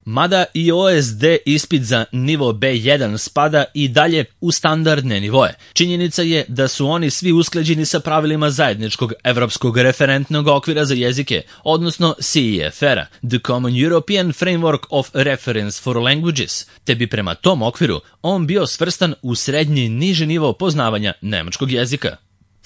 Mada i OSD ispit za nivo B1 spada i dalje u standardne nivoe, činjenica je da su oni svi usklađeni sa pravilima zajedničkog evropskog referentnog okvira za jezike, odnosno CEFR-a, The Common European Framework of Reference for Languages, te bi prema tom okviru on bio svrstan u srednji niži nivo poznavanja nemačkog jezika.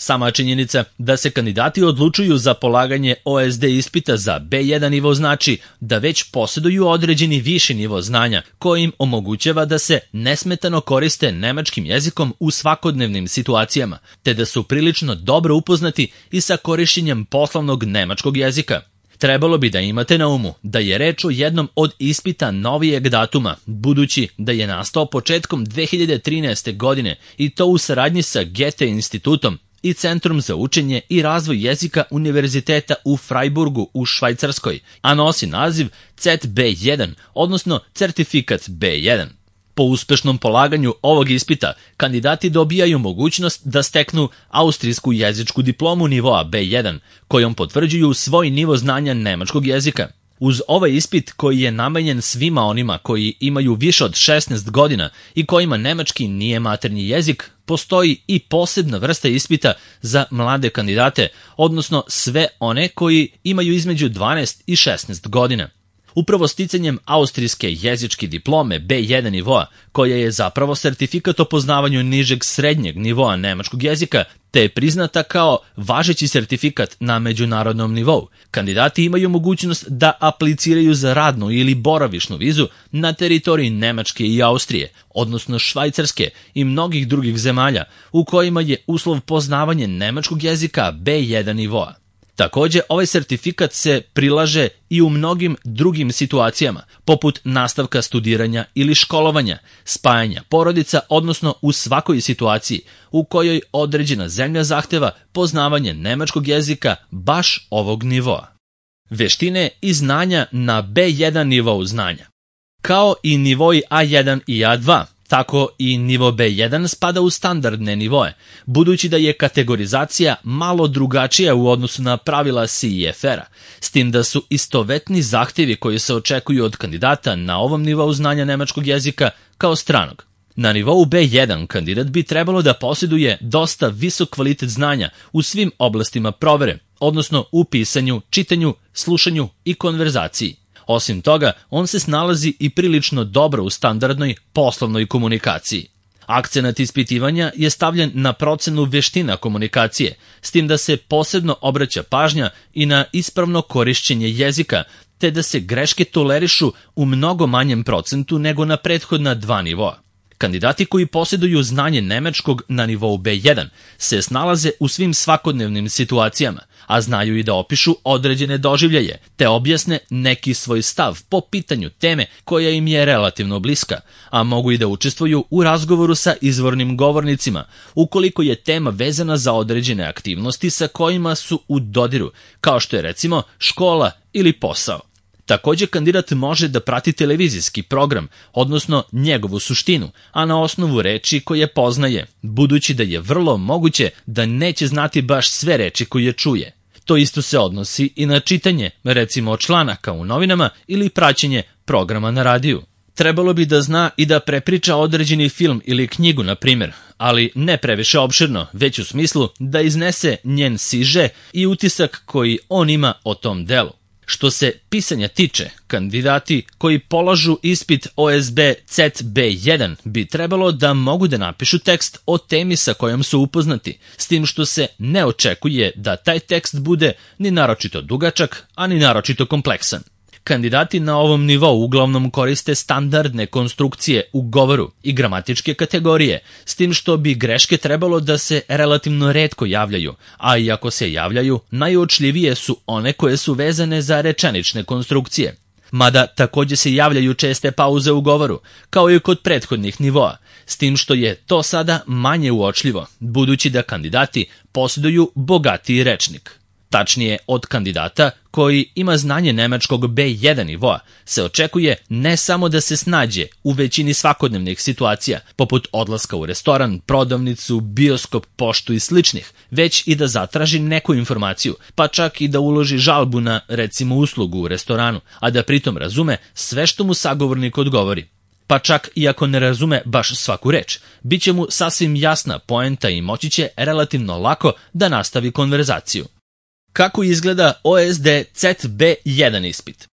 Sama činjenica da se kandidati odlučuju za polaganje OSD ispita za B1 nivo znači da već posjeduju određeni viši nivo znanja koji im omogućava da se nesmetano koriste nemačkim jezikom u svakodnevnim situacijama, te da su prilično dobro upoznati i sa korišćenjem poslovnog nemačkog jezika. Trebalo bi da imate na umu da je reč o jednom od ispita novijeg datuma, budući da je nastao početkom 2013. godine i to u saradnji sa Goethe institutom i Centrom za učenje i razvoj jezika Univerziteta u Freiburgu u Švajcarskoj, a nosi naziv CETB1, odnosno Certifikat B1. Po uspešnom polaganju ovog ispita, kandidati dobijaju mogućnost da steknu austrijsku jezičku diplomu nivoa B1, kojom potvrđuju svoj nivo znanja nemačkog jezika. Uz ovaj ispit koji je namenjen svima onima koji imaju više od 16 godina i kojima nemački nije maternji jezik, postoji i posebna vrsta ispita za mlade kandidate, odnosno sve one koji imaju između 12 i 16 godina. Upravo sticanjem austrijske jezičke diplome B1 nivoa, koja je zapravo sertifikat o poznavanju nižeg srednjeg nivoa nemačkog jezika, te je priznata kao važeći sertifikat na međunarodnom nivou, kandidati imaju mogućnost da apliciraju za radnu ili boravišnu vizu na teritoriji Nemačke i Austrije, odnosno Švajcarske i mnogih drugih zemalja u kojima je uslov poznavanje nemačkog jezika B1 nivoa. Također, ovaj sertifikat se prilaže i u mnogim drugim situacijama, poput nastavka studiranja ili školovanja, spajanja porodica, odnosno u svakoj situaciji u kojoj određena zemlja zahteva poznavanje nemačkog jezika baš ovog nivoa. Veštine i znanja na B1 nivou znanja. Kao i nivoi A1 i A2, tako i nivo B1 spada u standardne nivoe, budući da je kategorizacija malo drugačija u odnosu na pravila CEFR-a, s tim da su istovetni zahtjevi koji se očekuju od kandidata na ovom nivou znanja nemačkog jezika kao stranog. Na nivou B1 kandidat bi trebalo da posjeduje dosta visok kvalitet znanja u svim oblastima provere, odnosno u pisanju, čitanju, slušanju i konverzaciji. Osim toga, on se snalazi i prilično dobro u standardnoj poslovnoj komunikaciji. Akcenat ispitivanja je stavljen na procenu veština komunikacije, s tim da se posebno obraća pažnja i na ispravno korišćenje jezika, te da se greške tolerišu u mnogo manjem procentu nego na prethodna dva nivoa. Kandidati koji posjeduju znanje nemačkog na nivou B1 se snalaze u svim svakodnevnim situacijama, a znaju i da opišu određene doživljaje, te objasne neki svoj stav po pitanju teme koja im je relativno bliska, a mogu i da učestvuju u razgovoru sa izvornim govornicima, ukoliko je tema vezana za određene aktivnosti sa kojima su u dodiru, kao što je recimo škola ili posao. Također kandidat može da prati televizijski program, odnosno njegovu suštinu, a na osnovu reči koje poznaje, budući da je vrlo moguće da neće znati baš sve reči koje čuje. To isto se odnosi i na čitanje, recimo članaka u novinama ili praćenje programa na radiju. Trebalo bi da zna i da prepriča određeni film ili knjigu, na primjer, ali ne previše opširno, već u smislu da iznese njen siže i utisak koji on ima o tom delu. Što se pisanja tiče, kandidati koji polažu ispit OSB CETB1 bi trebalo da mogu da napišu tekst o temi sa kojom su upoznati, s tim što se ne očekuje da taj tekst bude ni naročito dugačak, a ni naročito kompleksan. Kandidati na ovom nivou uglavnom koriste standardne konstrukcije u govoru i gramatičke kategorije, s tim što bi greške trebalo da se relativno retko javljaju, a i ako se javljaju, najuočljivije su one koje su vezane za rečenične konstrukcije. Mada također se javljaju česte pauze u govoru, kao i kod prethodnih nivoa, s tim što je to sada manje uočljivo, budući da kandidati posjeduju bogatiji rečnik. Tačnije, od kandidata koji ima znanje nemačkog B1 nivoa se očekuje ne samo da se snađe u većini svakodnevnih situacija, poput odlaska u restoran, prodavnicu, bioskop, poštu i sličnih, već i da zatraži neku informaciju, pa čak i da uloži žalbu na, recimo, uslugu u restoranu, a da pritom razume sve što mu sagovornik odgovori. Pa čak i ako ne razume baš svaku reč, bit će mu sasvim jasna poenta i moći će relativno lako da nastavi konverzaciju. Kako izgleda OSD CET-B1 ispit?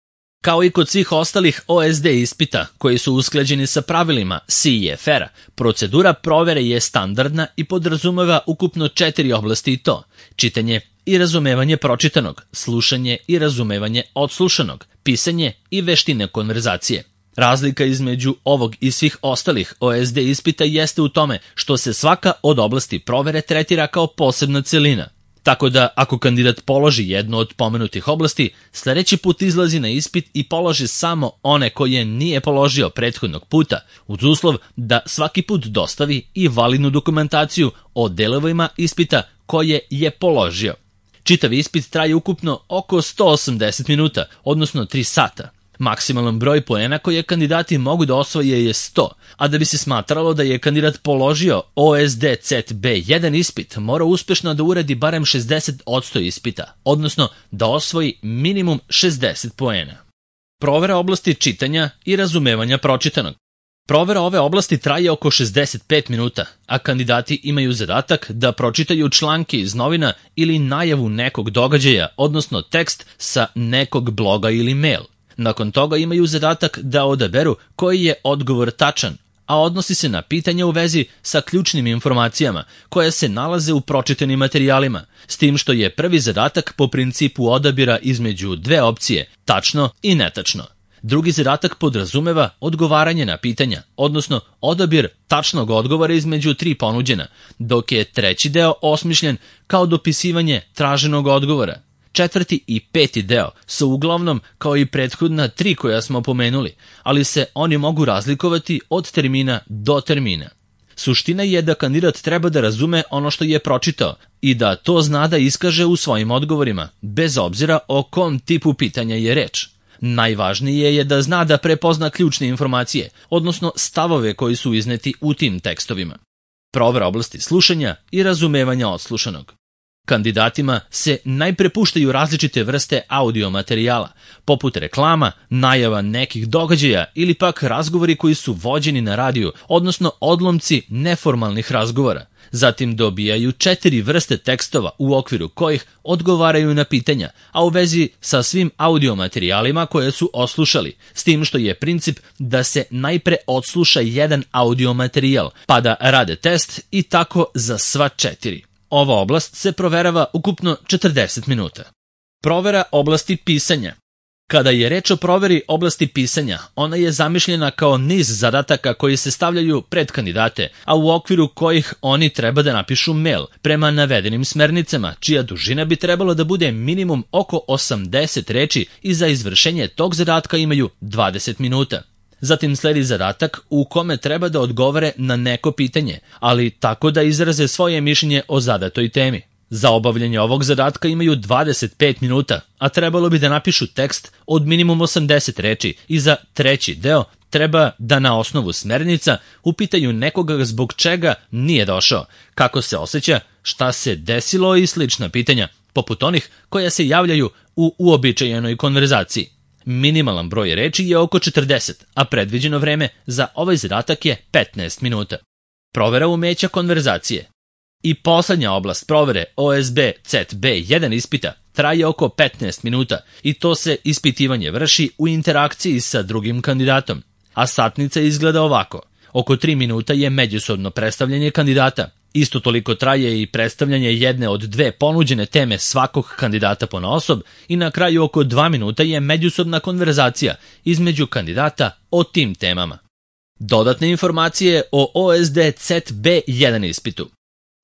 Kao i kod svih ostalih OSD ispita koji su usklađeni sa pravilima CEFR-a, procedura provere je standardna i podrazumeva ukupno 4 oblasti i to: čitanje i razumevanje pročitanog, slušanje i razumevanje odslušanog, pisanje i veštine konverzacije. Razlika između ovog i svih ostalih OSD ispita jeste u tome što se svaka od oblasti provere tretira kao posebna celina. Tako da, ako kandidat položi jednu od pomenutih oblasti, sledeći put izlazi na ispit i položi samo one koje nije položio prethodnog puta, uz uslov da svaki put dostavi i validnu dokumentaciju o delovima ispita koje je položio. Čitav ispit traje ukupno oko 180 minuta, odnosno 3 sata. Maksimalan broj poena koje kandidati mogu da osvoje je 100, a da bi se smatralo da je kandidat položio OSD CET-B1 ispit, mora uspešno da uradi barem 60% ispita, odnosno da osvoji minimum 60 poena. Provera oblasti čitanja i razumevanja pročitanog. Provera ove oblasti traje oko 65 minuta, a kandidati imaju zadatak da pročitaju članke iz novina ili najavu nekog događaja, odnosno tekst sa nekog bloga ili mail. Nakon toga imaju zadatak da odaberu koji je odgovor tačan, a odnosi se na pitanja u vezi sa ključnim informacijama koje se nalaze u pročitanim materijalima, s tim što je prvi zadatak po principu odabira između dve opcije, tačno i netačno. Drugi zadatak podrazumeva odgovaranje na pitanja, odnosno odabir tačnog odgovora između 3 ponuđena, dok je treći deo osmišljen kao dopisivanje traženog odgovora. Četvrti i peti deo su uglavnom kao i prethodna 3 koja smo pomenuli, ali se oni mogu razlikovati od termina do termina. Suština je da kandidat treba da razume ono što je pročitao i da to zna da iskaže u svojim odgovorima, bez obzira o kom tipu pitanja je reč. Najvažnije je da zna da prepozna ključne informacije, odnosno stavove koji su izneti u tim tekstovima. Provera oblasti slušanja i razumevanja odslušanog. Kandidatima se najpre puštaju različite vrste audio materijala, poput reklama, najava nekih događaja ili pak razgovori koji su vođeni na radiju, odnosno odlomci neformalnih razgovora. Zatim dobijaju 4 vrste tekstova u okviru kojih odgovaraju na pitanja, a u vezi sa svim audio materijalima koje su oslušali, s tim što je princip da se najpre odsluša jedan audio materijal, pa da rade test i tako za sva 4. Ova oblast se proverava ukupno 40 minuta. Provera oblasti pisanja. Kada je reč o proveri oblasti pisanja, ona je zamišljena kao niz zadataka koji se stavljaju pred kandidate, a u okviru kojih oni treba da napišu mail prema navedenim smernicama, čija dužina bi trebalo da bude minimum oko 80 reči i za izvršenje tog zadatka imaju 20 minuta. Zatim sledi zadatak u kome treba da odgovore na neko pitanje, ali tako da izraze svoje mišljenje o zadatoj temi. Za obavljanje ovog zadatka imaju 25 minuta, a trebalo bi da napišu tekst od minimum 80 reči i za treći deo treba da na osnovu smernica upitaju nekoga zbog čega nije došao, kako se osjeća, šta se desilo i slična pitanja, poput onih koja se javljaju u uobičajenoj konverzaciji. Minimalan broj reči je oko 40, a predviđeno vreme za ovaj zadatak je 15 minuta. Provera umeća konverzacije. I poslednja oblast provere OSB CET-B1 ispita traje oko 15 minuta i to se ispitivanje vrši u interakciji sa drugim kandidatom. A satnica izgleda ovako. Oko 3 minuta je međusobno predstavljanje kandidata. Isto toliko traje i predstavljanje jedne od 2 ponuđene teme svakog kandidata ponaosob i na kraju oko 2 minuta je međusobna konverzacija između kandidata o tim temama. Dodatne informacije o OSD CET-B1 ispitu.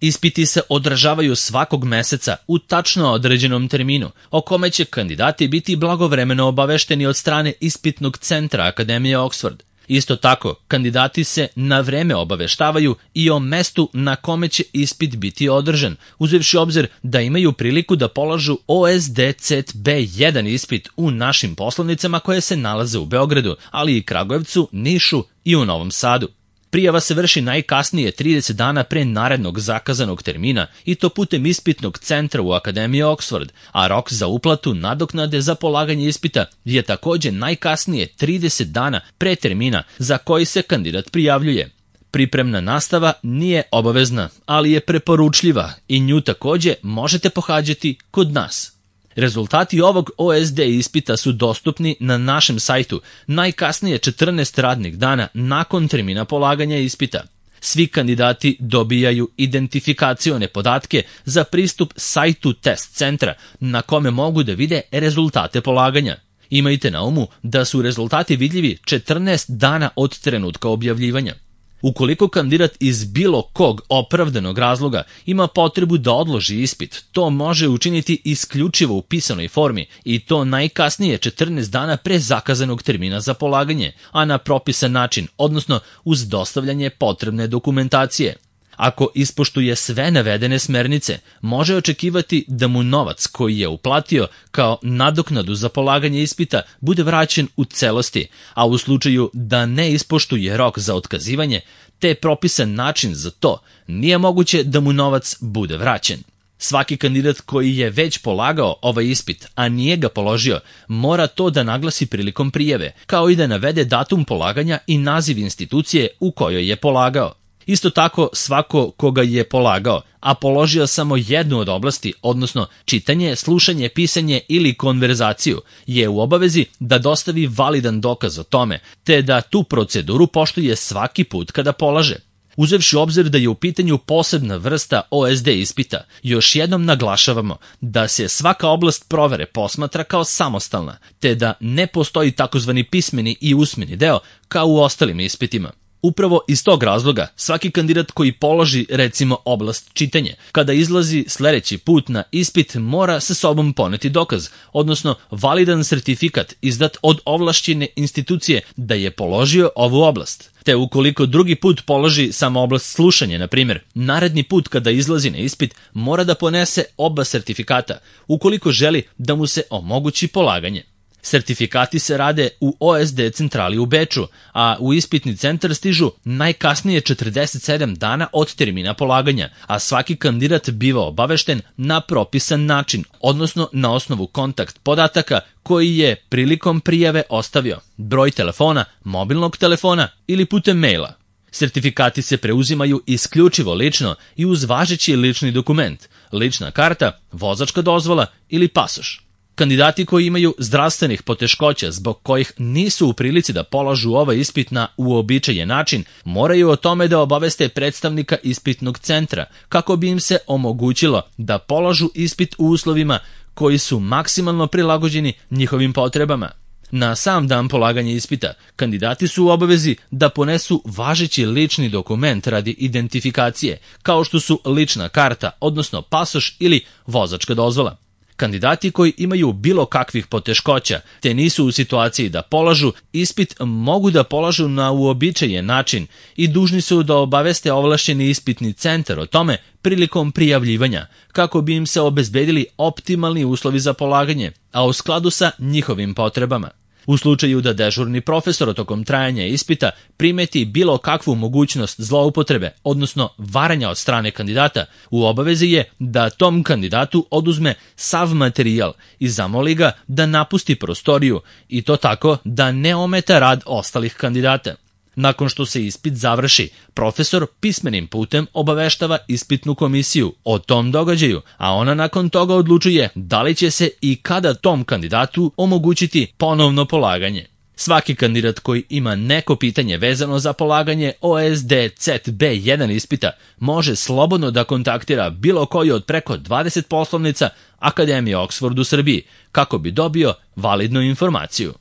Ispiti se održavaju svakog meseca u tačno određenom terminu, o kome će kandidati biti blagovremeno obavešteni od strane ispitnog centra Akademije Oxford. Isto tako, kandidati se na vreme obaveštavaju i o mestu na kome će ispit biti održan, uzevši obzir da imaju priliku da polažu OSDCET B1 ispit u našim poslovnicama koje se nalaze u Beogradu, ali i Kragujevcu, Nišu i u Novom Sadu. Prijava se vrši najkasnije 30 dana pre narednog zakazanog termina i to putem ispitnog centra u Akademiji Oxford, a rok za uplatu nadoknade za polaganje ispita je takođe najkasnije 30 dana pre termina za koji se kandidat prijavljuje. Pripremna nastava nije obavezna, ali je preporučljiva i nju takođe možete pohađati kod nas. Rezultati ovog OSD ispita su dostupni na našem sajtu najkasnije 14 radnih dana nakon termina polaganja ispita. Svi kandidati dobijaju identifikacione podatke za pristup sajtu test centra na kome mogu da vide rezultate polaganja. Imajte na umu da su rezultati vidljivi 14 dana od trenutka objavljivanja. Ukoliko kandidat iz bilo kog opravdanog razloga ima potrebu da odloži ispit, to može učiniti isključivo u pisanoj formi i to najkasnije 14 dana pre zakazanog termina za polaganje, a na propisan način, odnosno uz dostavljanje potrebne dokumentacije. Ako ispoštuje sve navedene smernice, može očekivati da mu novac koji je uplatio kao nadoknadu za polaganje ispita bude vraćen u celosti, a u slučaju da ne ispoštuje rok za otkazivanje, te propisan način za to, nije moguće da mu novac bude vraćen. Svaki kandidat koji je već polagao ovaj ispit, a nije ga položio, mora to da naglasi prilikom prijave, kao i da navede datum polaganja i naziv institucije u kojoj je polagao. Isto tako, svako koga je polagao, a položio samo jednu od oblasti, odnosno čitanje, slušanje, pisanje ili konverzaciju, je u obavezi da dostavi validan dokaz o tome, te da tu proceduru poštuje svaki put kada polaže. Uzevši obzir da je u pitanju posebna vrsta OSD ispita, još jednom naglašavamo da se svaka oblast provere posmatra kao samostalna, te da ne postoji takozvani pismeni i usmeni deo kao u ostalim ispitima. Upravo iz tog razloga, svaki kandidat koji položi, recimo, oblast čitanje, kada izlazi sledeći put na ispit mora sa sobom poneti dokaz, odnosno validan sertifikat izdat od ovlašćene institucije da je položio ovu oblast. Te ukoliko drugi put položi samo oblast slušanja, na primjer, naredni put kada izlazi na ispit mora da ponese oba sertifikata, ukoliko želi da mu se omogući polaganje. Sertifikati se rade u OSD centrali u Beču, a u ispitni centar stižu najkasnije 47 dana od termina polaganja, a svaki kandidat biva obavešten na propisan način, odnosno na osnovu kontakt podataka koji je prilikom prijave ostavio, broj telefona, mobilnog telefona ili putem maila. Sertifikati se preuzimaju isključivo lično i uz važeći lični dokument, lična karta, vozačka dozvola ili pasoš. Kandidati koji imaju zdravstvenih poteškoća zbog kojih nisu u prilici da polažu ovaj ispit na uobičajen način, moraju o tome da obaveste predstavnika ispitnog centra kako bi im se omogućilo da polažu ispit u uslovima koji su maksimalno prilagođeni njihovim potrebama. Na sam dan polaganja ispita, kandidati su u obavezi da ponesu važeći lični dokument radi identifikacije, kao što su lična karta, odnosno pasoš ili vozačka dozvola. Kandidati koji imaju bilo kakvih poteškoća te nisu u situaciji da polažu ispit mogu da polažu na uobičajen način i dužni su da obaveste ovlašćeni ispitni centar o tome prilikom prijavljivanja, kako bi im se obezbedili optimalni uslovi za polaganje, a u skladu sa njihovim potrebama. U slučaju da dežurni profesor tokom trajanja ispita primeti bilo kakvu mogućnost zloupotrebe, odnosno varanja od strane kandidata, u obavezi je da tom kandidatu oduzme sav materijal i zamoli ga da napusti prostoriju i to tako da ne ometa rad ostalih kandidata. Nakon što se ispit završi, profesor pismenim putem obaveštava ispitnu komisiju o tom događaju, a ona nakon toga odlučuje da li će se i kada tom kandidatu omogućiti ponovno polaganje. Svaki kandidat koji ima neko pitanje vezano za polaganje OSDCET B1 ispita može slobodno da kontaktira bilo koji od preko 20 poslovnica Akademije Oxford u Srbiji kako bi dobio validnu informaciju.